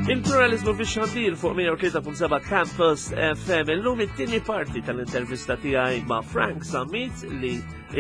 Il-pluralizmu fi xandir fuq 103.7 Campus FM illum it-tieni parti tal-intervista tiegħi ma' Frank Sammit li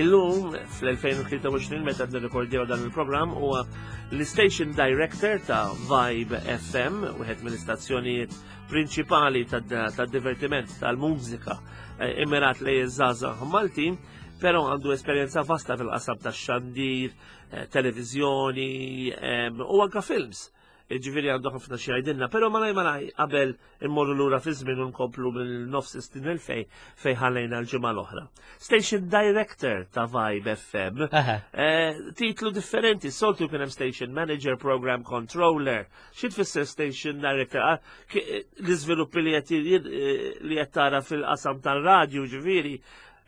illum fl-2023 meta nirrekordjaw dan il-programm huwa l-station director ta' Vibe FM, wieħed mill-istazzjonijiet prinċipali tad-divertiment tal-mużika eh, immirat lejn iż-żgħażagħ Maltin, però għandu esperjenza vasta fil-qasam tax-xandir, eh, televiżjoni eh, u anka films. Ġifieri għandu ħafna xi jgħidilna, però malaj malaj qabel immorru lura fi żmien u nkomplu mill-nofs snin il-fej fej ħallejna l-ġimgħa l-oħra. Station Director ta' Vibe FM. Eh, titlu differenti, soltu kien hemm Station Manager, Program Controller. Xi tfisser Station Director? Ah, eh, l-iżviluppi li qed tara fil-qasam tal-radju ġifieri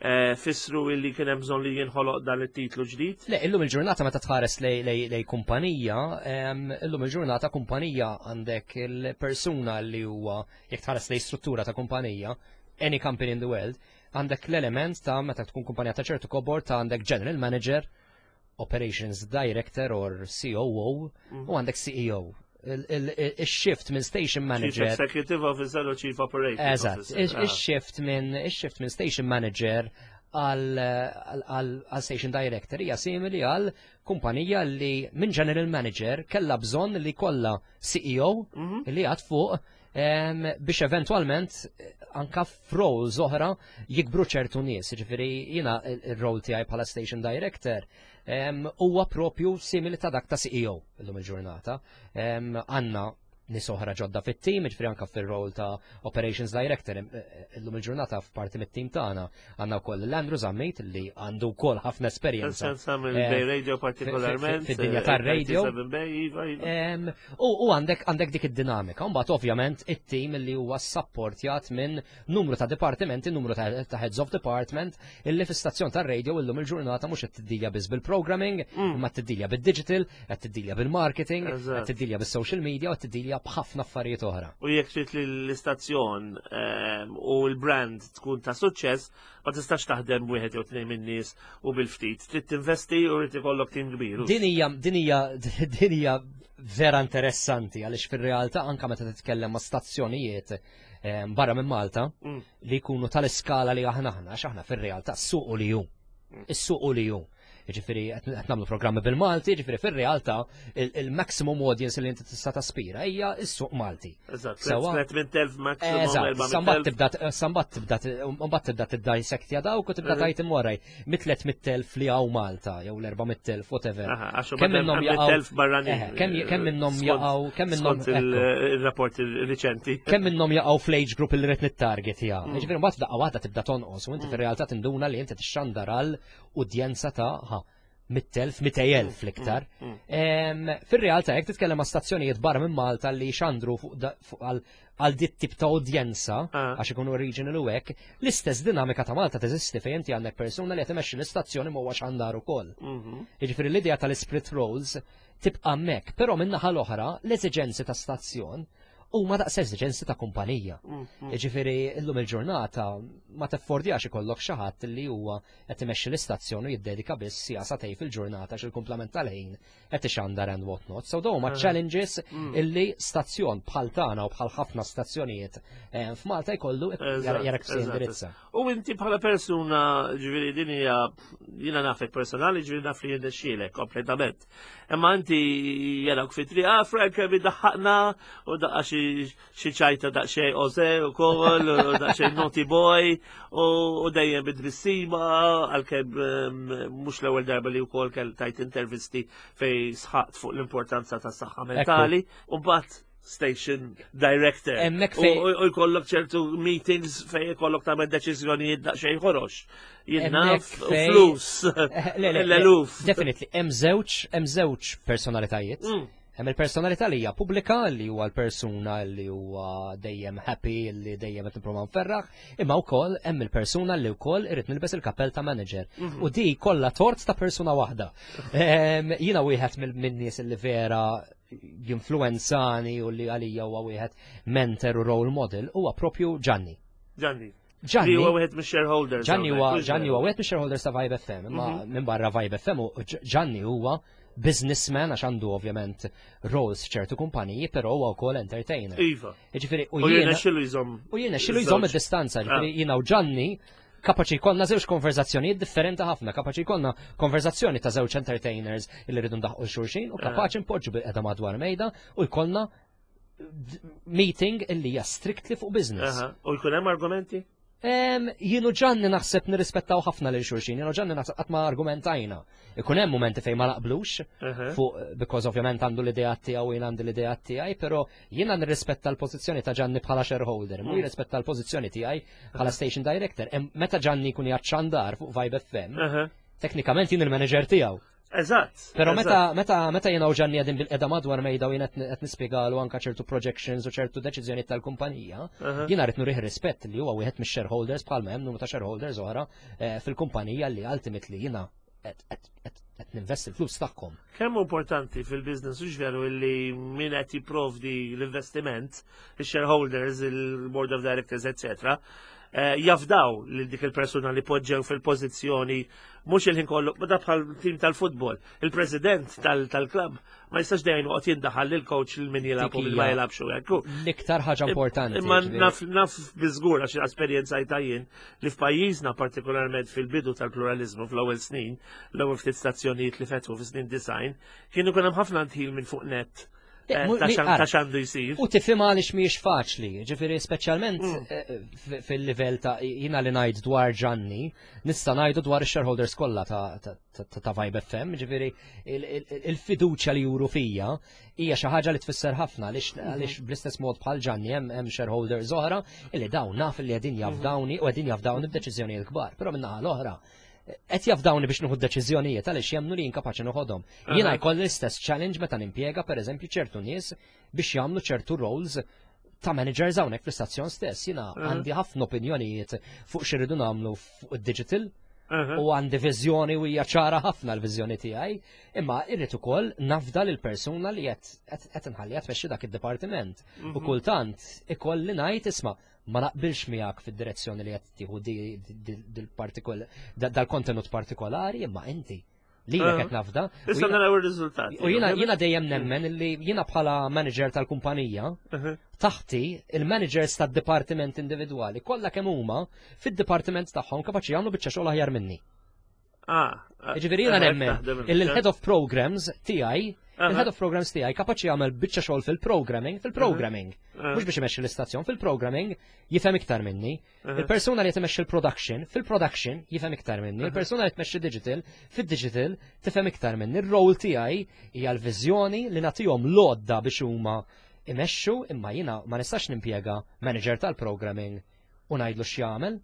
Eh, fissru illi kien hemm bżonn li jinħoloq dan it-titlu ġdid? Le, illum il-ġurnata meta tħares lej kumpanija, illum il-ġurnata kumpanija għandek il-persuna li huwa jekk tħares lej struttura ta' kumpanija, any company in the world, għandek l-element ta' meta tkun kumpanija ta' ċertu kobor ta' għandek general manager, operations director or COO mhm. u għandek CEO il-shift minn station manager. Chief Executive Officer u Chief Operating Eżatt, il-shift minn il-shift minn station manager għal station director hija simili għal kumpanija li minn general manager kella bżonn li kollha CEO mhm. li għad fuq biex eventwalment eh, anka f'roles oħra jikbru ċertu nies. Ġifieri jiena il-role tiegħi bħala station director huwa propju simili ta' dak ta' CEO illum il-ġurnata. Għandna nies oħra ġodda fit-team, ġifieri anka fir-role ta' Operations Director eh, eh, illum il-ġurnata f'parti mit-team tagħna għandna wkoll l-Andrew Zammit li għandu wkoll ħafna esperjenza. Esperjenza mill-Bay Radio partikolarment. Fid-dinja tar-radio. Iva, iva. U għandek għandek dik id-dinamika. Mbagħad ovvjament it-team li huwa sapportjat minn numru ta' dipartimenti, numru ta' heads of department illi fi stazzjon tar-radio illum il-ġurnata mhux qed tiddilja biss bil-programming, imma tiddilja bid-digital, qed tiddilja bil-marketing, qed tiddilja bis-social media u qed tiddilja b'ħafna affarijiet oħra. U jekk trid li l-istazzjon ehm, u l-brand tkun ta' suċċess, ma tistax taħdem wieħed jew tnejn min-nies u bil-ftit. Trid tinvesti u rrid ikollok tim kbir. Din hija din hija din hija vera interessanti għaliex fir-realtà anka meta titkellem ma' stazzjonijiet ehm, barra minn Malta mm. li jkunu tal-iskala li aħna aħna għax aħna fir-realtà s-suq li hu. Mm. Is-suq li hu. Ġifieri qed nagħmlu programmi bil-Malti, ġifieri fir-realtà il-maximum audience li inti tista' taspira hija s-suq Malti. Eżatt, 300,000 maximum. Eżatt, sambat tibda sambat tibda mbagħad tibda tiddissectja dawk u tibda tgħid imoraj mit-300,000 li hawn Malta jew l-400,000 whatever. Kemm minnhom jaqgħu barranin. Kemm minnhom jaqgħu kemm minnhom il-rapport riċenti. Kemm minnhom jaqgħu fl-age group li rid nittargetja. Mm. Ġifieri mbagħad f'daqqa waħda tibda tonqos u inti mm. fir-realtà tinduna li inti tixxandar għal udjenza ta' ha, 100,000, 200,000 mm, l-iktar. Mm, mm. Fir-realtà jekk titkellem ma' stazzjonijiet barra minn Malta li xandru għal dit tip ta' udjenza, ah. għax ikunu regional u hekk, l-istess dinamika ta' Malta teżisti fejn inti għandek persuna li qed imexxi l-istazzjoni ma huwa xandar ukoll. Mhm. Jiġifieri l-idea tal-split roles tibqa' hemmhekk, però min-naħa l-oħra l-eżiġenzi ta' stazzjon huma daqs eżiġenzi ta' kumpanija. Mhm. Jiġifieri llum il-ġurnata ma teffordjax ikollok xi ħadd li huwa qed imexxi l-istazzjon u jiddedika biss siegħa sagħtejn fil-ġurnata għax il-kumplament tal-ħin qed ixandar and what not. So dawn huma challenges mm. illi stazzjon bħal tagħna u bħal ħafna stazzjonijiet eh, f'Malta jkollu jara kif se jindirizza. U inti bħala persuna, ġifieri din hija jiena nafek personali, ġifieri naf li jirnexxielek kompletament. Imma inti jarawk fi triq, ah Frank kemm iddaħħaqna u daqqa xi ċajta daqsxejn oze ukoll, u daqsxejn naughty boy u dejjem bid-tbissima għalkemm ehm, mhux l-ewwel darba li wkoll kell tajt intervisti fej sħaqt fuq l-importanza tas-saħħa mentali u mbagħad station director. Hemmhekk fejn u jkollok ċertu meetings fejn jkollok tagħmel deċiżjonijiet daqsxejn ħorox. Jien naf flus. Eh, L-eluf. Definitely, hemm żewġ hemm żewġ personalitajiet. Mm. Hemm il-personalità li hija pubblika li huwa l-persuna li huwa dejjem happy li dejjem qed nipprova nferraħ, imma wkoll hemm il-persuna li wkoll irid nilbes il-kappell ta' manager. Mhm. U di kollha tort ta' persuna waħda. Jiena wieħed min-nies li vera jinfluenzani u li għalija huwa wieħed mentor u role model huwa propju Gianni. Gianni. Gianni Li huwa wieħed mix-shareholders. Gianni huwa hawnhekk, Gianni huwa wieħed mix-shareholders ta' Vibe FM, imma minn barra Vibe FM u Gianni huwa businessman għax għandu ovvjament roles f'ċertu kumpaniji, però huwa wkoll entertainer. Iva. Jiġifieri u U jiena jirnexxilu jżomm. u jiena xilu jżomm id-distanza, ġifieri jiena u Gianni kapaċi jkollna żewġ konverzazzjonijiet differenti ħafna, kapaċi jkollna konverzazzjoni ta' żewġ entertainers illi rridu ndaħqu xulxin u kapaċi npoġġu bil-qeda madwar mejda u jkollna meeting illi hija strictly fuq business. Aha. U jkun hemm argumenti? Jienu Gianni naħseb nirrispettaw ħafna lil xulxin, jienu Gianni naħseb qatt ma argumentajna. Ikun hemm momenti fejn ma naqblux, fuq because ovvjament għandu l-idea tiegħu u jien għandi l-idea tiegħi, però jiena nirrispetta l-pożizzjoni ta' Gianni bħala shareholder, mhu jirrispetta l-pożizzjoni tiegħi bħala station director. Meta Gianni jkun jaċċandar fuq Vibe FM, teknikament jien il-manager tiegħu. Eżatt. Pero meta meta meta jiena u Gianni qegħdin bil-qeda madwar mejda u jiena qed nispjegalu anka ċertu projections u ċertu deċiżjonijiet tal-kumpanija, jiena rrid nurih rispett li huwa wieħed mix-shareholders bħalma hemm numru ta' shareholders oħra fil-kumpanija li ultimately jiena qed ninvesti l-flus tagħhom. Kemm hu importanti fil-business u veru illi min qed jipprovdi l-investiment, il-shareholders, il-board of directors, etc., jafdaw lil dik il-persuna li poġġew fil-pożizzjoni mhux il-ħin kollu, ma da bħal tim tal-futbol. Il-president tal-klabb ma jistax dejjem joqgħod jindaħal lil coach lil min jilgħab u min ma Dik hija jilgħabx u hekk. L-iktar ħaġa importanti. Imma ġifieri. naf biżgur għax esperjenza jien li f'pajjiżna partikolarment fil-bidu tal-pluralizmu fl-ewwel snin, l-ewwel ftit stazzjonijiet li fetħu fis-snin 90, kienu kien hemm ħafna ndħil minn fuq net ta' x'għandu jsir. U tifhimha għaliex mhijiex faċli, ġifieri speċjalment fil-livell ta' jiena li ngħid dwar Gianni, nista' ngħidu dwar ix-shareholders kollha ta' Vibe FM, ġifieri il-fiduċja li juru fija hija xi ħaġa li tfisser ħafna għaliex bl-istess mod bħal Gianni hemm shareholders oħra illi dawn naf li qegħdin jafdawni u qegħdin jafdawni b'deċiżjonijiet kbar, però min-naħa l-oħra qed jafdawni biex nieħu deċiżjonijiet għaliex jemmnu li jien kapaċi noħodhom. Jiena jkolli l-istess challenge meta nimpjega pereżempju ċertu nies biex jagħmlu ċertu roles ta' managers hawnhekk fl-istazzjon stess. Jiena għandi ħafna opinjonijiet fuq x'irridu nagħmlu fuq id-digital u għandi viżjoni u hija ċara ħafna l-viżjoni tiegħi, imma irrid ukoll nafda lil persuna li qed inħalliha tmexxi dak id-dipartiment. U kultant ikolli ngħid isma' ma naqbilx miegħek fid-direzzjoni li qed tieħu dal-kontenut partikolari, imma inti li qed nafda. Issa naraw ir-riżultati. U jiena dejjem nemmen li jiena bħala manager tal-kumpanija, taħti il-managers tad-dipartiment individwali kollha kemm huma fid-dipartiment tagħhom kapaċi jagħmlu biċċa xogħol aħjar minni. Ġifieri jiena nemmen illi l-head of programs tiegħi, il-head of programs tiegħi kapaċi jagħmel biċċa xogħol fil-programming, fil-programming. Mhux biex imexxi l-istazzjon, fil-programming jifhem iktar minni. Il-persuna li tmexxi il-production, fil-production jifhem iktar minni. Il-persuna li tmexxi digital, fil-digital tifhem iktar minni. Il-role tiegħi hija l-viżjoni li nagħtihom l-għodda biex huma imexxu, imma jiena ma nistax nimpjega manager tal-programming u ngħidlu x'jagħmel.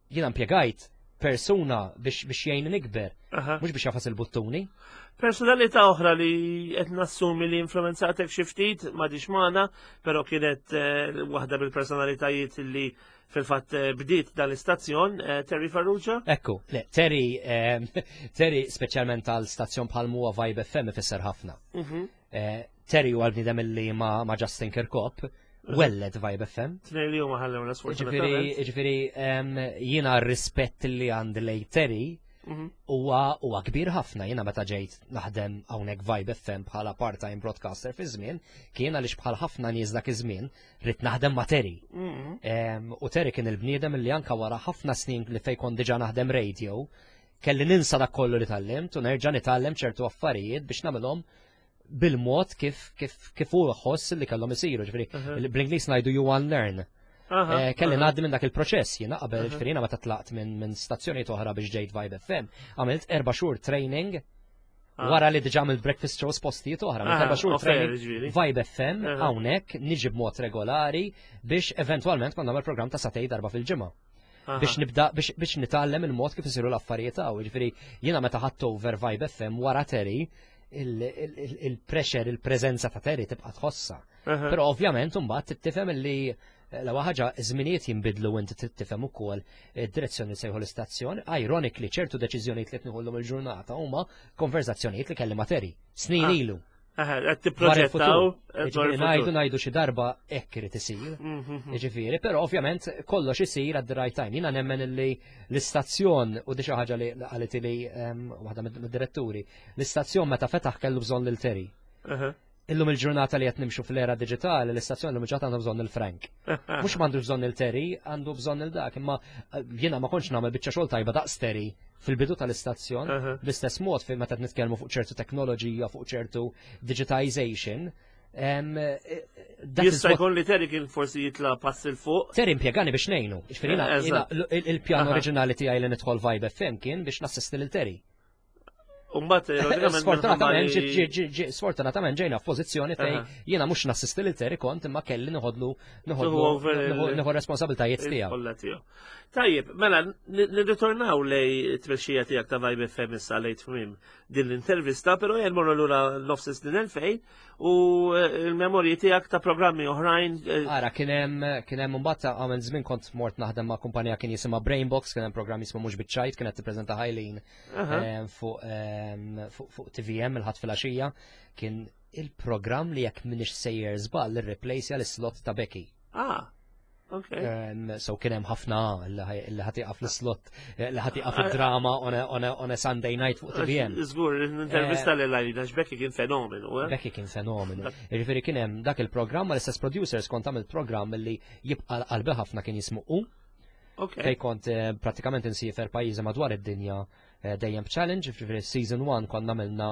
Jiena impjegajt persuna biex jgħin nikber, mhux biex jagħfas il-buttuni. Personalità oħra li qed nassumi li influenzatek xi ftit m'għadix magħna, però kienet waħda mill-personalitajiet li fil-fatt bdiet dal-istazzjon, Terry Farrugia. Ekku, le, Terry speċjalment tal-stazzjon bħal huwa Vibe FM ifisser ħafna. Terry huwa l-bniedem li ma' Justin Kirkop welled Vibe FM. Tnej li huma ħallewna sfortunatament. Ġifieri jiena r-rispett li għandi lej Terry huwa kbir ħafna. Jiena meta ġejt naħdem hawnhekk Vibe FM bħala part-time broadcaster fi żmien, kien għaliex bħal ħafna nies dak iż-żmien ridt naħdem ma' Terry. U Terry kien il-bniedem li anka wara ħafna snin li fejn kont diġà naħdem radio, kelli ninsa dak kollu li tgħallimt u nerġa' nitgħallem ċertu affarijiet biex nagħmilhom bil-mod kif hu ħoss li kellhom isiru, ġifieri bl-Ingliż ngħidu you unlearn. Kelli ngħaddi minn dak il-proċess, jiena qabel, ġifieri jiena meta tlaqt minn stazzjonijiet oħra biex ġejt Vibe FM, għamilt 4 xhur training wara li diġà għamilt breakfast shows postijiet oħra, għamilt 4 xhur training Vibe FM hawnhekk niġi b'mod regolari biex eventwalment kont nagħmel programm ta' sagħtejn darba fil-ġimgħa. Biex nibda biex nitgħallem il-mod kif isiru l-affarijiet hawn. Ġifieri jiena meta ħadt over Vibe FM wara Terry, il-pressure, il-preżenza ta' Terry tibqa' tħossa. Però ovvjament imbagħad tifhem li l-ewwel ħaġa żminijiet jinbidlu u inti trid tifhem ukoll id-direzzjoni li sejħu l-istazzjon. Ironically, ċertu deċiżjonijiet li qed nieħullhom il-ġurnata huma konverzazzjonijiet li kelli ma' Terry snin ilu. Qed tipproġettaw. Ngħidu ngħidu xi darba hekk irid isir. Mhm. Jiġifieri, però ovvjament kollox isir at the right time. Jiena nemmen li l-istazzjon u di xi ħaġa li qalet li ehm, waħda mid-diretturi, l-istazzjon meta fetaħ kellu bżonn lil Terry. Illum il-ġurnata li qed nimxu fl-era diġitali, l-istazzjon illum il-ġurnata għandu bżonn il-Frank. Mhux m'għandu bżonn il-Terry, għandu bżonn il-dak, imma eh, jiena ma kontx nagħmel biċċa xogħol tajba daqs Terry fil-bidu tal-istazzjon, bl-istess mod fejn meta nitkellmu fuq ċertu teknoloġija, fuq ċertu digitization, eh, Jista' jkun li Terry kien forsi jitla pass il fuq. Terry impjegani biex ngħinu. Eh, il-pjan oriġinali tiegħi li nidħol Vibe FM kien biex nassisti lil Terry. Umbat, sfortunatament, sfortunatament ġejna f'pożizzjoni fej jiena mhux nassisti lil Terry kont imma kelli noħodlu noħodlu responsabiltajiet tiegħu. Tajjeb, mela nirritornaw lej t-tmexxija tiegħek ta' Vibe FM issa lejn tmiem din l-intervista, però jien morru lura nofs snin 2000 u eh, l-memorji tiegħek ta' programmi oħrajn. Eh, Ara, kien hemm kien hemm imbagħad għamel żmien kont mort naħdem ma' kumpanija kien jisimha Brainbox, kien hemm programm jismu mhux biċ-ċajt, kienet tippreżenta Ħajlin eh, fuq TVM il-ħadd filgħaxija, kien il-programm li jekk minix sejjer żball irreplejsja l-slot ta' Becky. Ah. Okay. So kien hemm ħafna li ħatiqa fl-slot, eh, li ħatiqa fid-drama on a Sunday night fuq TVM. Żgur, intervista li lajna Becky kien fenomenu. Eh? Becky kien fenomenu. Jiġifieri kien hemm dak il-programm mal-istess producers kont għamil programm li jibqa' qalbi ħafna kien jismu u. Fej kont eh, pratikament insiefer pajjiżi madwar id-dinja dejjem challenge, ġifieri season 1 konna għamilna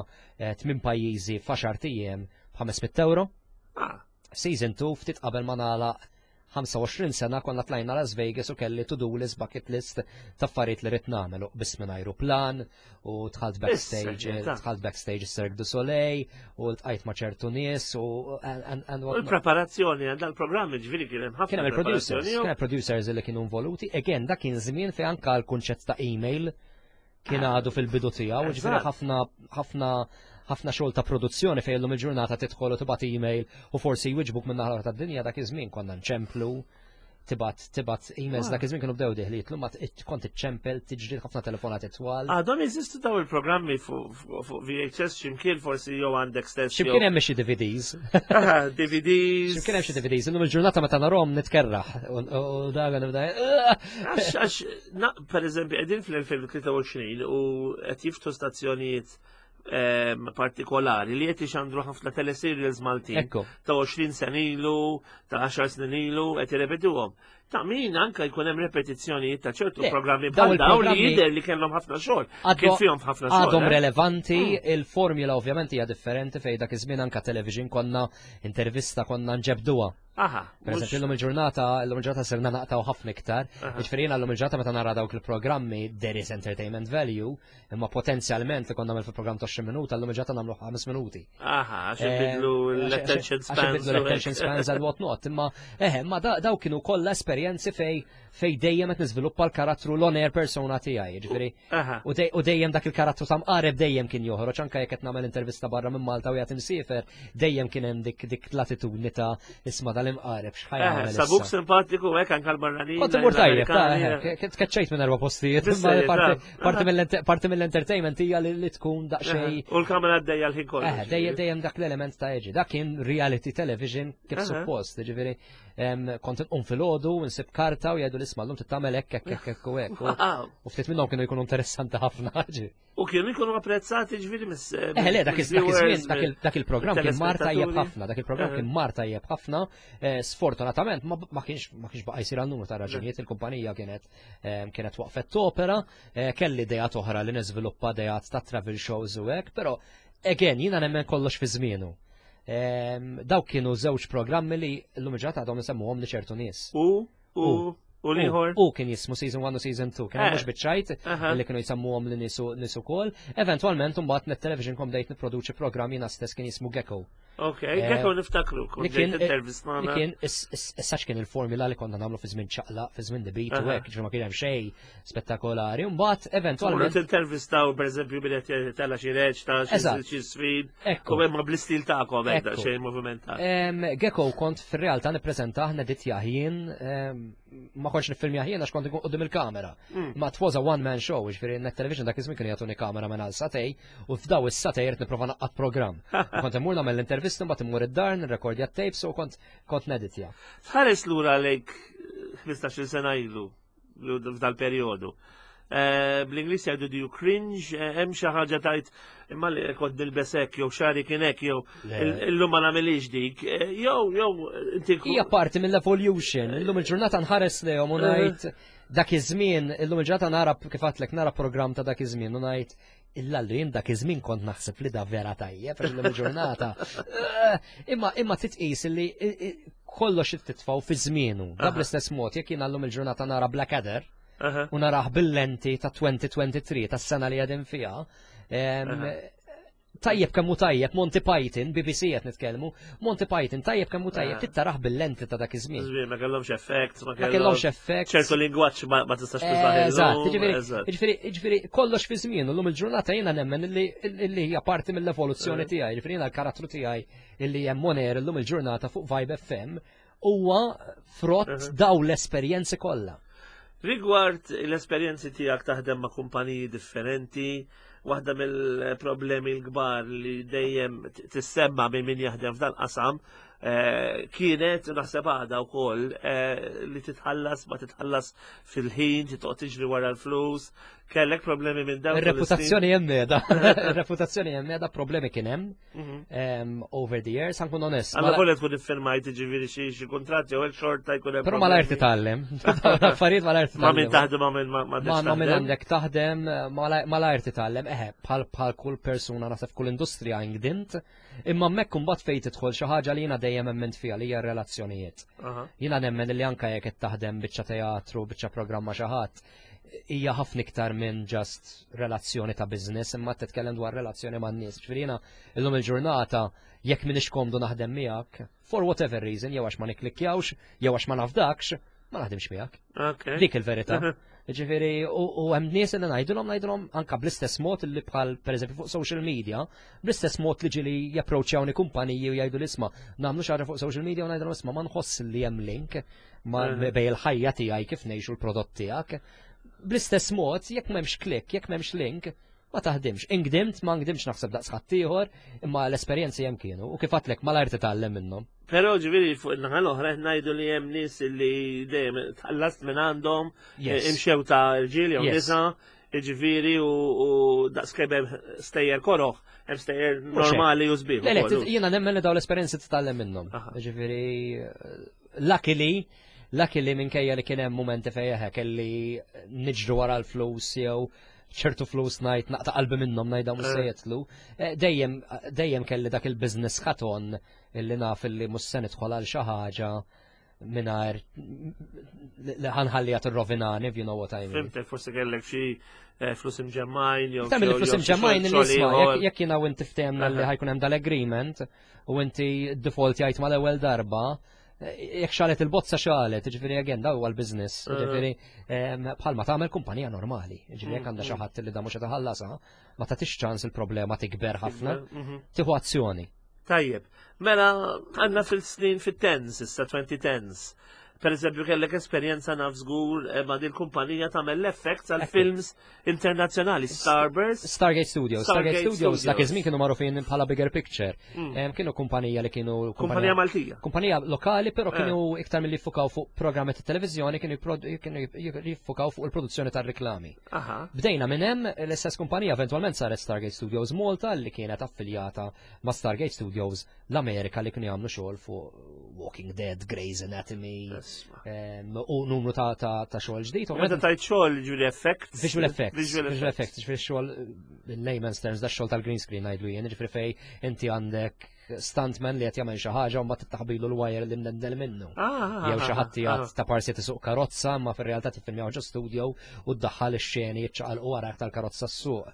8 pajjiżi f'għaxar ijiem b'500 euro. Ah. Season 2 ftit qabel ma nagħlaq 25 sena konna tlajna Las Vegas u kelli to-do list, bucket list ta' affarijiet li rrid nagħmel u biss minn ajruplan u dħalt backstage, dħalt backstage Cirque du Soleil u ltqajt ma' ċertu nies u U l-preparazzjoni għal dal-programm ġifieri kien hemm ħafna. Kien hemm il-producers, kien hemm producers li kienu involuti. Again, dak kien żmien fejn anka l-kunċett ta' email kien għadu fil-bidu tiegħu, ġifieri ħafna ħafna ħafna xogħol ta' produzzjoni fejn illum il-ġurnata tidħol u tibgħat email u forsi jwiġbuk minn naħa tad-dinja dak iż-żmien konna nċemplu tibat tibat emails dak iż-żmien kienu bdew diħliet ma kont iċċempel tiġri ħafna telefonati twal. Għadhom jeżistu daw il-programmi fuq VHS x'imkien forsi jew għandek stess. X'imkien hemm xi DVDs. DVDs. X'imkien hemm xi DVDs, illum il-ġurnata meta narhom nitkerraħ u dak nibda. Għax għax per eżempju qegħdin fl-2023 u qed jiftu stazzjonijiet ehm, partikolari li qed ixandru ħafna teleserials Maltin ta' 20 sena ilu, ta' 10 snin ilu qed irrepetuhom. Ta' min anka jkun hemm repetizzjonijiet ta' ċertu programmi bħal dawn li jidher li kellhom ħafna xogħol. Kien fihom ħafna xogħol. Għadhom eh? relevanti, mm. il-formula ovvjament hija differenti fejn dak iż-żmien anka television konna intervista konna nġebduha. Aha. Per eżempju, l-lum il-ġurnata, l-lum il-ġurnata sirna naqtaw ħafna iktar. Ġifieri jiena l-lum il-ġurnata meta nara dawk il-programmi there is entertainment value, imma potenzjalment li konna nagħmel fil-programm ta' 20 minuta, l-lum il-ġurnata nagħmlu 5 minuti. Aha, għax eh, ibidlu l-attention spans. Għax ibidlu l-attention spans and what not. Imma eħe, ma daw kienu kollha esperjenzi fej fej dejjem qed niżviluppa l-karattru l-on-air persona tiegħi, ġifieri. U dejjem dak il-karattru ta' mqareb dejjem kien joħroġ anke jekk qed nagħmel intervista barra minn Malta u jgħid imsiefer, dejjem kien hemm dik dik l-attitudni ta' isma' dal-imqareb x'ħaj jagħmel. Sabuk simpatiku hekk anke l-barranin. Kont imur tajjeb, tkeċċejt minn erba' postijiet, parti mill-entertainment hija li tkun daqsxejn. U l-kamera għaddejja l-ħin kollu. Dejjem dak l-element ta' eġi. Dak kien reality television kif suppost, ġifieri kont inqum filgħodu nsib karta u jgħidu l-isma' llum tittamel hekk hekk hekk hekk u hekk. U ftit minnhom kienu jkunu interessanti ħafna. U kienu jkunu apprezzati ġifieri mis. Eh le dak iż-żmien dak il-programm kien mar tajjeb ħafna, dak il-programm kien mar tajjeb ħafna. Eh, sfortunatament ma kienx ma kienx baqa' jsir għal numru ta' raġunijiet il-kumpanija kienet kienet waqfet topera, eh, kelli idejat oħra li niżviluppa idejat ta' travel shows u hekk, però again jiena nemmen kollox fi żmienu. Dawk kienu żewġ programmi li l-lum ġata għadhom nsemmuhom li ċertu nies. U, u, u liħor. U kien jismu season 1 u season 2, kien mhux biċċajt li kienu jsemmuhom li nisu nisu kol. Eventualment mbagħad net television kom dejt nipproduċi programm jiena stess kien jismu Gecko. Ok, Gecko niftakru, li kien li kien issa kien il-formula li konna nagħmlu fi żmien ċaqla, fi żmien debit u hekk, ġifieri ma kien hemm xejn spettakolari. Mbagħad eventwalment. Intervistaw pereżempju billi qed tella xi reġ ta' xi sfid. U hemm bl-istil tagħkom hekk xejn movimentat. Gecko kont fir-realtà nippreżentah neditjah jien ma kontx niffilmjah jien għax kont ikun qudiem il-kamera. Ma it was a one man show, ġifieri Net Television dak iż-żmien kienu jagħtuni kamera minn għal satej u f'daw is-satej irid nipprova naqqad programm. Kont immur nagħmel l-intervista mbagħad immur id-dar nirrekordja t-tapes u kont kont neditja. Tħares lura lejk 15-il sena ilu f'dal-perjodu. Bl-Ingliż jgħidu do you cringe, hemm xi ħaġa tajt imma li kont nilbes hekk jew xari kien hekk jew illum ma nagħmilix dik, jew jew inti Hija parti mill-evolution, illum il-ġurnata nħares lejhom u ngħid dak iż-żmien, illum il-ġurnata nara kif għadtlek nara programm ta' dak iż-żmien u ngħid illallu jien dak iż-żmien kont naħseb li da vera tajjeb illum il-ġurnata. Imma imma titqis li kollox titfgħu fi żmienu. Da bl-istess mod jekk jien llum il-ġurnata nara Blackadder, u narah bil-lenti ta' 2023 tas-sena li qegħdin fiha. Tajjeb kemm hu tajjeb Monty Python, BBC qed nitkellmu, Monty Python tajjeb kemm hu tajjeb tittarah bil-lenti ta' dak iż-żmien. Żmien ma kellhomx effect, ma kellhomx effect. Ċertu lingwaġġ ma tistax tużah. Eżatt, jiġifieri jiġifieri kollox fi żmien, llum il-ġurnata jiena nemmen illi hija parti mill-evoluzzjoni tiegħi, jiġifieri jiena l-karattru tiegħi illi hemm on air illum il-ġurnata fuq Vibe FM huwa frott daw l-esperjenzi kollha. Rigward l-esperjenzi tiegħek taħdem ma' kumpaniji differenti, waħda mill-problemi l-kbar li dejjem tissemma minn min jaħdem f'dan qasam kienet naħseb għada wkoll li titħallas ma titħallas fil-ħin, titqgħod tiġri wara l-flus, kellek problemi minn dawn. Ir-reputazzjoni hemm qiegħda, ir-reputazzjoni hemm qiegħda, problemi kien hemm over the years, ħankun onest. Għalla volja tkun iffirmajt ġifieri xi kuntratt jew hekk xorta jkun hemm. Però malajr titgħallem. Affarijiet malajr titgħallem. Ma min taħdem ma min ma ma min għandek taħdem malajr titgħallem. Eħe, bħal kull persuna naħseb kull industrija ingdint, imma hemmhekk imbagħad fejn tidħol xi ħaġa li jiena dejjem emmint fiha li hija r-relazzjonijiet. Jiena nemmen li anke jekk qed taħdem biċċa teatru, biċċa programma xi ħadd, hija ħafna iktar minn just relazzjoni ta' business, imma titkellem dwar relazzjoni man nies. Ġifieri jiena illum il-ġurnata jekk m'iniex komdu naħdem miegħek, for whatever reason, jew għax ma nikklikkjawx, jew għax ma nafdakx, ma naħdimx miegħek. Dik il-verità. Ġifieri, u hemm nies li ngħidulhom ngħidulhom anka bl-istess mod li bħal pereżempju fuq social media, bl-istess mod li ġieli japproċċjawni kumpaniji u jgħidu l-isma' nagħmlu xi ħaġa fuq social media u ngħidulhom isma' ma nħoss li hemm link ma bej il-ħajja tiegħi kif ngħixu l-prodott tiegħek. Bl-istess mod, jekk m'hemmx klik, jekk m'hemmx link, ma taħdimx. Ingdimt, ma ngdimx naħseb daqs ħaddieħor, imma l-esperjenzi hemm kienu u kif għadtlek malajr titgħallem minnhom. Però ġifieri fuq in-naħa l-oħra qed ngħidu li hemm nies li dejjem tħallast minn għandhom imxew ta' rġiel jew nisa, ġifieri u daqskemm hemm stejjer koroħ, hemm stejjer normali u sbieħ. Le, le, jiena nemmen li dawn l-esperjenzi titgħallem minnhom. Ġifieri luckily, luckily minkejja li kien hemm mumenti fejn eħe kelli niġru wara l-flus jew ċertu flus ngħid naqta' qalbi minnhom ngħid dawn mhux se jitlu. Dejjem dejjem kelli dak il-business hat on illi naf illi mhux se nidħol għal xi ħaġa mingħajr li ħanħalliha tirrovinani, if you know what I mean. Fimtek, forsi kellek xi flus imġemmajn jew Kemm il-flus imġemmajn li isma' jekk jiena u inti ftehemna li ħajkun hemm dal-agreement u inti default jgħid mal-ewwel darba, jekk xalet il-bozza xalet, ġifieri again daw huwa l-business, ġifieri bħalma tagħmel kumpanija normali, ġifieri jekk għandha xi ħadd li da mhux qed iħallasha, ma tagħtix ċans il-problema tikber ħafna, tieħu azzjoni. Tajjeb, mela għandna fil-snin fit-tens, issa 2010s. Per eżempju, kellek esperjenza naf żgur ma' din kumpanija tagħmel l-effects għal films internazzjonali, Starburst. Stargate Studios. Stargate Studios, dak iż-żmien kienu magħrufin bħala Bigger Picture. Kienu kumpanija li kienu kumpanija Maltija. Kumpanija lokali, però kienu iktar milli jiffukaw fuq programmi ta' televiżjoni, kienu jiffukaw fuq il-produzzjoni tar-riklami. Bdejna minn hemm l-istess kumpanija eventwalment saret Stargate Studios Malta li kienet affiljata ma' Stargate Studios l-Amerika li kienu jagħmlu xogħol fuq Walking Dead, Grey's Anatomy, u numru ta' xogħol ġdid. Meta tajt xogħol visual effects? Visual effects. Visual effects, ġifieri xogħol in layman's terms, da xogħol tal-green screen ngħidlu jien, ġifieri fej inti għandek stuntman li qed jagħmel xi ħaġa u mbagħad taħbilu l-wire li mdendel minnu. Jew xi ħadd qiegħed ta' parsi tisuq karozza ma fir-realtà tiffilmjaw ġo studio u ddaħħal ix-xeni jiċċaqalqu wara tal-karozza s-suq.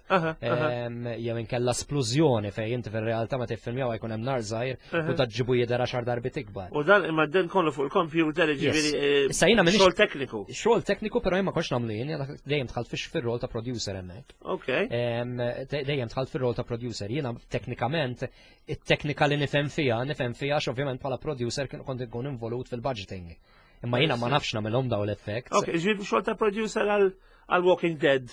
Jew inkella splużjoni fejn inti fir-realtà ma tiffilmjaw jkun hemm nar żgħir u taġġibu jidher għaxar darbit ikbar. U dan imma dan kollu fuq il-computer ġifieri Issa jiena minix xogħol tekniku. Xogħol tekniku, però jien ma kontx nagħmlu jien, jiena dejjem dħalt fix fir-rol ta' producer hemmhekk. Dejjem dħalt fir-rol ta' producer. Jiena teknikament it-teknika li nifhem fiha, nifhem fiha għax ovvjament bħala producer kien kont inkun involut fil-budgeting. Imma jiena ma nafx nagħmilhom daw l-effects. Ok, ġifieri xogħol ta' producer għal Walking Dead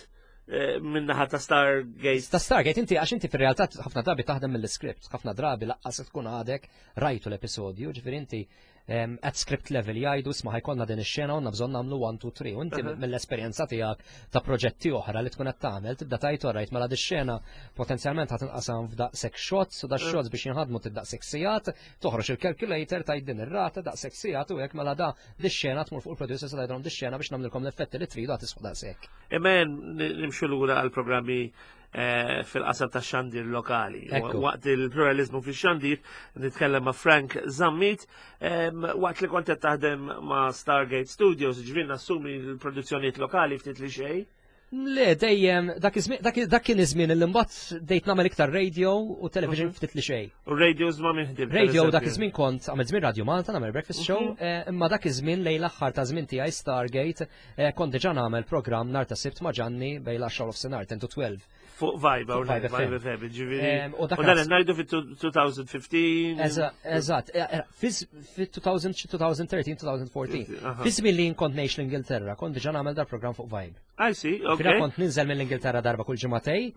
minnaħa ta' Stargate. Ta' Stargate, inti għax inti fir-realtà ħafna drabi taħdem mill-script, ħafna drabi laqqas tkun għadek rajtu l-episodju, ġifieri inti at script level jgħidu, "Isma', ħa jkollna din ix-xena u bżonn nagħmlu 1, 2, 3" U inti mill-esperjenza tiegħek ta' proġetti oħra li tkun qed tagħmel tibda tgħid, "Alright, mela di xena potenzjalment ħa tinqasam f'daqshekk shots u da shots biex jinħadmu daqshekk sigħat", toħroġ il-calculator, tgħid din ir-rata daqshekk sigħat u hekk, mela da di xena tmur fuq il-producer sa tgħidhom di xena biex nagħmlilkom l-effetti li tridu għad tiswa daqshekk. Imma nimxu lura għal programmi fil-qasam ta' xandir lokali. Waqt il-pluralizmu fix-xandir nitkellem ma' Frank Zammit, waqt li kont qed taħdem ma' Stargate Studios, ġifieri nassumi l-produzzjonijiet lokali ftit li xejn. Le, dejjem, dak kien iż-żmien li mbagħad bdejt nagħmel iktar radio u television ftit li xejn. U radios ma' min ħdimt? Radio dak iż-żmien kont għamilt żmien Radio Malta nagħmel breakfast show, imma dak iż-żmien lejn l-aħħar ta' żmien tiegħi Stargate kont diġà nagħmel programm nhar ta' Sibt ma' Ġanni bejn l-10 u nofsinhar, 10 to 12. Fuq Vibe, Fuq Vibe Vibe FM. FM, ġifieri. U dak U dan ngħidu fit-2015. Eżatt, fi 2013, 2014. Fi żmien li kont ngħix l-Ingilterra, kont diġà nagħmel dar programm fuq Vibe. I see, Fina kont ninżel mill-Ingilterra darba kull ġimagħtejn,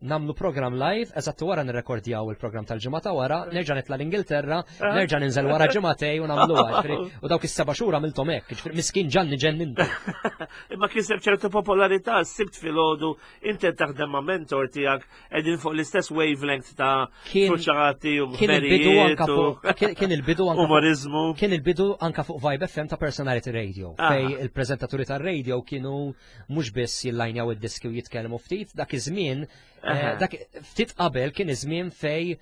nagħmlu program live, eżatt wara nirrekordjaw il-program tal-ġimgħa ta' wara, nerġa' nitla' l-Ingilterra, nerġa' ninżel wara ġimagħtejn u nagħmluha. Ġifieri, u dawk is-7 xhur għamilthom hekk, ġifieri miskin Ġanni ġennintu. Imma kiseb ċertu popolarità, Sibt filgħodu, inti taħdem ma' mentor tiegħek qegħdin fuq l-istess wavelength ta' fruċati u Kien il-bidu anka ħmerijiet u fuq kien il-bidu anka fuq umorizmu. Kien il-bidu anka fuq Vibe FM ta' Personality Radio, fej il-prezentaturi tar-radio kienu mhux biss jillajnjaw id-diski u jitkellmu ftit, dak iż-żmien, dak ftit qabel kien iż-żmien fej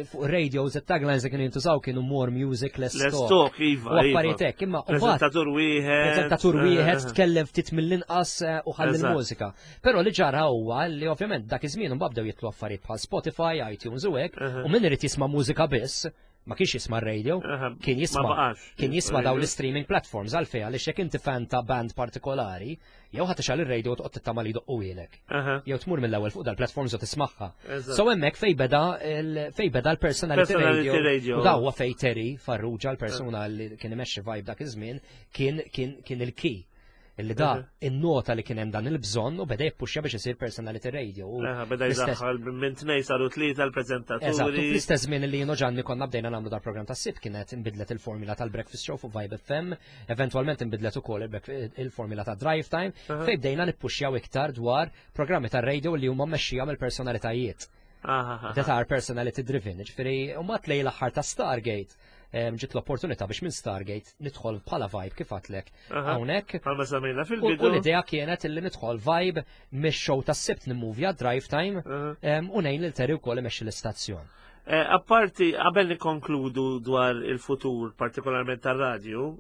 fuq radios it-taglines li kienu jintużaw kienu "more music, less Less talk". talk, iva. U affarijiet hekk, imma u mbagħad Prezentatur wieħed. Prezentatur wieħed tkellem ftit mill-inqas u ħalli l-mużika. Però li ġara huwa li ovvjament dak iż-żmien imbagħad bdew jitlu affarijiet bħal Spotify, iTunes u hekk, u min irid jisma' mużika biss, ma kienx jisma' radio, kien Ma jisma' baqax. kien jisma' dawn l-streaming platforms. Għalfejn? Għaliex jekk inti fan ta' band partikolari, jew ħa tixgħel ir-radio u toqgħod tittama li jdoqquhielek. Jew tmur mill-ewwel fuq dal-platforms u tismagħha. So hemmhekk fej beda l-personality Personality radio. Radio. U daw huwa fej Terry Farrugia, l-persuna li kien imexxi Vibe dak iż-żmien, kien il-key. Illi da innota li kien hemm dan il-bżonn u beda jippuxja biex isir personality radio. U Aha, beda jidaħħal minn tnej saru tlieta l-prezentaturi. Eżatt, u fl-istess żmien li jien u Ġanni konna bdejna nagħmlu dal-programm tas-Sibt kienet inbidlet il-formula tal-Breakfast Show fuq Vibe FM, eventwalment inbidlet ukoll il-formula ta' Drive Time, fejn bdejna nippuxjaw iktar dwar programmi tar-radio li huma mmexxija mill-personalitajiet. That are personality driven. Ġifieri, u mat lejn l-aħħar ta' Stargate, ġiet l-opportunità biex minn Stargate nidħol bħala Vibe kif għedtlek hawnhekk. Bħalma semmejna U fil-bidu. l-idea kienet illi nidħol Vibe mix-show tas-Sibt nimmuvja Drive Time u ngħin lil Terry wkoll imexxi l-istazzjon. Apparti, qabel nikkonkludu dwar il-futur, partikolarment tar-radio,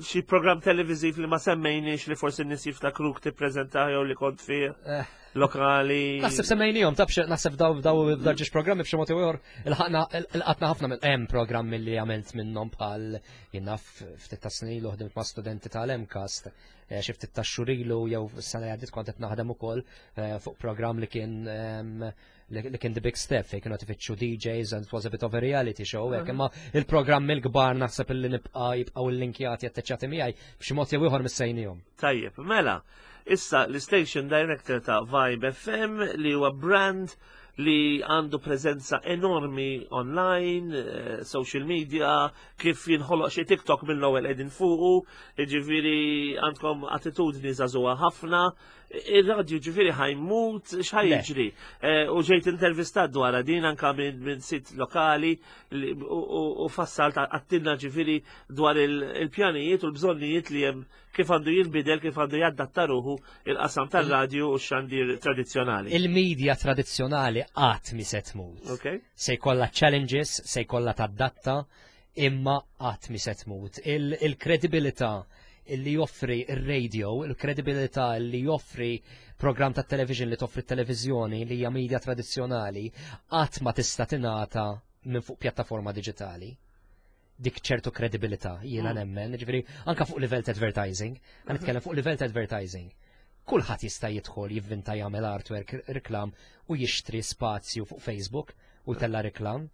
xi program televiziv li ma semmejniex li forsi n-nies jiftakruk tippreżenta jew li kont fih lokali? Naħseb semmejnihom, tabx naħseb daw ġiex programmi b'xi mod jew ieħor il-qatna ħafna minn hemm programmi li għamilt minnhom bħal jiena ftit ta' snin ilu ħdimt ma' studenti tal-MCAST, xi ftit ta' xhur ilu jew s-sena li għaddiet kont qed naħdem ukoll fuq programm li kien The Big Step fejn kienu tifittxu DJs and it was a bit of a reality show hekk, imma il-programmi l-kbar naħseb illi nibqa' jibqgħu l-linkjati atteċċati miegħi b'xi mod jew ieħor missejnihom. Tajjeb, mela, issa l-station director ta' Vibe FM li huwa brand li għandu prezenza enormi online, social media, kif jinħoloq xi TikTok mill-ewwel qegħdin fuqu, jiġifieri għandkom attitudni żagħżugħa ħafna. Ir-radju ġifieri ħajmut, x'ħajġri. Eh, u ġejt intervistat dwar din anka minn sit lokali u fassalt għattilna ġifieri dwar il-pjanijiet u l-bżonnijiet li hemm kif għandu jinbidel, kif għandu jaddatta ruħu il-qasam tal-radju u x-xandir tradizzjonali. Il-medja tradizzjonali qatt mi se tmut. Se jkollha challenges, se jkollha tadatta, imma qatt mi se tmut. Il-kredibilità il li joffri il-radio, il-kredibilità li joffri program ta' television li toffri televizjoni li hija media tradizzjonali, qatt ma tista' tingħata minn fuq pjattaforma diġitali dik ċertu kredibilità jiena mm. nemmen, ġifieri anka fuq livell ta' advertising, għan nitkellem fuq livell ta' advertising. Kulħadd jista' jidħol jivvinta jagħmel artwork reklam u jixtri spazju fuq Facebook u tella reklam.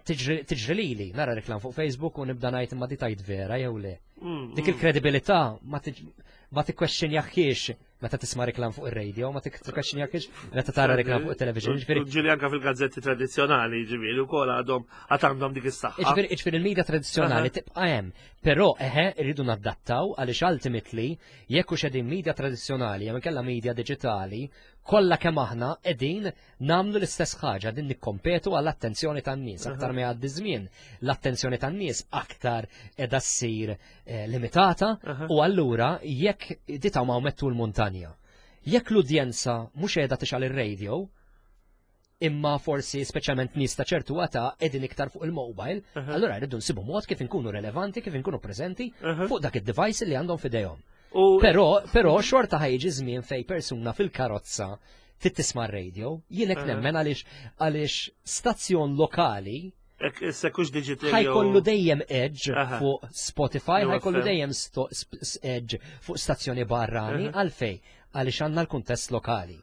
Tiġri lili, nara reklam fuq Facebook u nibda ngħid imma di tajt vera jew le. Mm, dik mm. il-kredibilità ma tikkwestjonjaħiex meta tisma' reklam fuq ir-radio, ma tikkwestjonjaħiex meta tara reklam fuq it-television. Ġifieri ġieli anke fil-gazzetti tradizzjonali, ġifieri wkoll għadhom għad għandhom dik is-saħħa. Ġifieri ġifieri il-media tradizzjonali tibqa' hemm, però eħe rridu nadattaw għaliex ultimately jekk hux qegħdin media tradizzjonali jew inkella media diġitali, kollha kemm aħna qegħdin nagħmlu l-istess ħaġa din nikkompetu għall-attenzjoni tan-nies. Aktar ma jgħaddi żmien, l-attenzjoni tan-nies aktar qiegħda ssir eh, limitata u allura jekk ditaw ma' mettu l-muntanja. Jekk l-udjenza mhux qiegħda tixgħal ir-radio, imma forsi speċjalment nies ta' ċertu għata qegħdin iktar fuq il-mobile, allura rridu nsibu mod kif inkunu relevanti, kif inkunu preżenti fuq dak id-device li għandhom fidejhom. Però, però xorta ħajġi żmien fej persuna fil-karozza trid tisma' r-radio, jien hekk nemmen għaliex għaliex stazzjon lokali Sekux digital. Ħajkollu dejjem edge fuq Spotify, ħajkollu dejjem edge fuq stazzjoni barrani, għalfej, għaliex għandna l-kuntest lokali.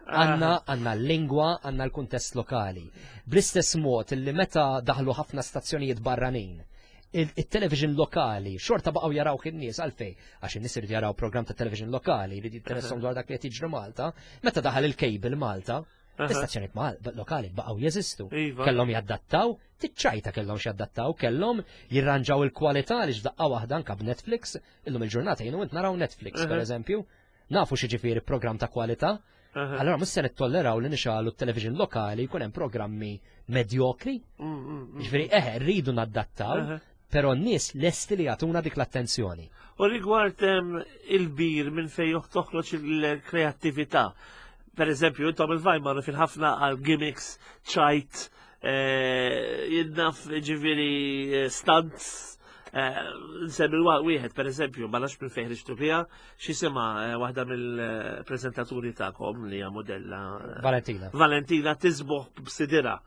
Għanna għanna l-lingwa, għanna l-kuntest lokali. Bl-istess mod li meta daħlu ħafna stazzjonijiet barranin, il-television lokali, xorta baqgħu jaraw in-nies għalfej, għax in-nies irid jaraw programm ta' television lokali, jrid jinteressahom dwar dak li qed jiġri Malta, meta daħal il-cable Malta, l-istazzjoni lokali baqgħu jeżistu. Iva. Kellhom jaddattaw, tiċċajta kellhom x'jaddattaw, kellhom jirranġaw il-kwalità li x'daqqa waħda anka b'Netflix, illum il-ġurnata jienu int naraw Netflix pereżempju, nafu xi programm ta' kwalità, Allora mhux se nittolleraw li nixalu t-television lokali jkun hemm programmi medjokri. Mm, mm, mm, Ġifieri eħe rridu naddattaw, però n-nies lesti li jagħtuna dik l-attenzjoni. U rigward il-bir minn fejn toħroġ il-kreattività. Per eżempju, intom il-Vajmar fil-ħafna għal gimmicks, ċajt, eh, jinnaf ġifieri eh, stunts, eh, nsemmi wieħed per eżempju, ma nafx minn fejn ħriġtu biha, X'jisimha eh, waħda mill-preżentaturi tagħkom li hija modella. Eh, Valentina. Valentina tisboħ b'sidira.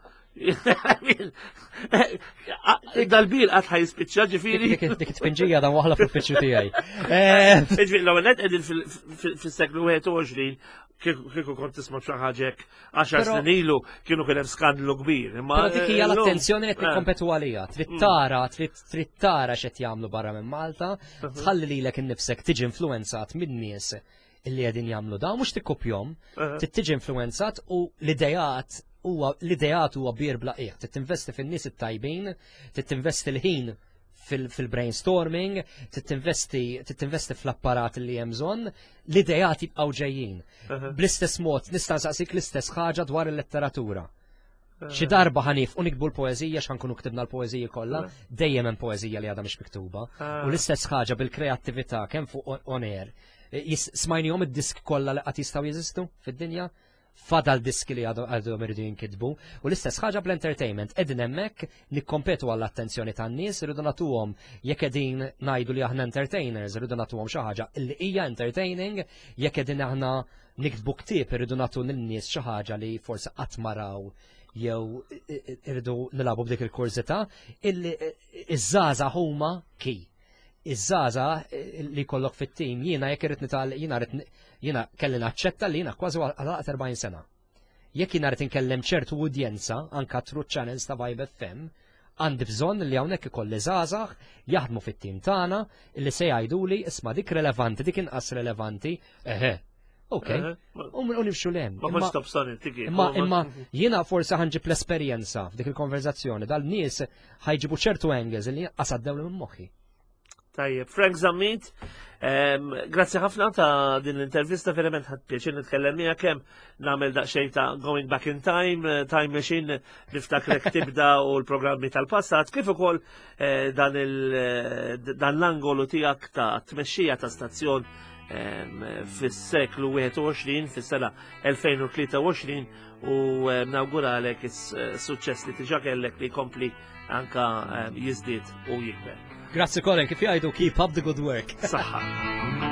Dal-bir qatt ħajspiċċa ġifieri. Dik it-tpinġija dan waħla fl-uffiċċju tiegħi. Eh, ġifieri l-ewwel qed qegħdin fis-seklu 21 kieku kont tisma' xi ħaġa hekk 10 snin ilu kienu kien hemm skandlu kbir. Imma Però dik hija l-attenzjoni li qed nikkompetu għaliha. Trid mm. tara, trid tara x'qed jagħmlu barra minn Malta, tħalli lilek innifsek tiġi influenzat minn nies illi qegħdin jagħmlu dawn mhux tikkopjhom, trid tiġi influenzat u l-idejat huwa l-idejat huwa bir bla qiegħ, trid tinvesti fin-nies it-tajbin, trid tinvesti l-ħin fil-brainstorming, titinvesti fl-apparat li hemm bżonn, l-idejat jibqgħu ġejjin. Bl-istess mod nista' nsaqsik l-istess ħaġa dwar il-letteratura. Xi darba ħanif u nikbu l-poeżija x'ħankunu ktibna l-poeżiji kollha, dejjem hemm poeżija li għadha mhix miktuba. U l-istess ħaġa bil-kreattività kemm fuq on air. Smajnihom id-disk kollha li qatt jistgħu jeżistu fid-dinja? Fadal diski li għadhom iridu jinkitbu. U l-istess ħaġa bl-entertainment, qegħdin hemmhekk nikkompetu għall-attenzjoni tan-nies, irridu nagħtuhom jekk qegħdin ngħidu li aħna entertainers, irridu nagħtuhom xi ħaġa li hija entertaining, jekk qegħdin aħna niktbu ktieb irridu nagħtu lin-nies xi ħaġa li forsi qatt ma raw jew irridu nilagħbu b'dik il-kurżità, illi iż-żgħażagħ huma ki iż-żgħażagħ eh, li jkollok fit-tim, jiena jekk irrid nital jiena rrid jiena kelli naċċetta li jiena kważi għalaqt 40 sena. Jekk jiena rrid inkellem ċertu udjenza anka through channels ta' Vibe FM, għandi bżonn li hawnhekk ikolli żgħażagħ jaħdmu fit-tim tagħna li se jgħiduli isma' dik relevanti, dik inqas relevanti, eħe, Ok, u nimxu lem. Ma kontx tobsoni tiki. Imma imma jiena forsi ħanġib l-esperjenza f'dik il-konverzazzjoni dal-nies ħajġibu ċertu angles li qasaddew minn moħħi. Tajjeb, Frank Zammit, grazzi ħafna ta' din l-intervista, verament ħadd pjaċir nitkellem miegħek kemm nagħmel daqsxejn ta' going back in time, eh, time machine niftakrek tibda u l-programmi tal-passat, kif ukoll eh, dan eh, l-angolu tiegħek ta' tmexxija ta' stazzjon fis-seklu 21, fis-sena 2023 u nawguralek is-suċċess li tiġa kellek li jkompli anka jiżdied u jikber. Grazzi Colin, kif jgħidu keep up the good work. Saħħa.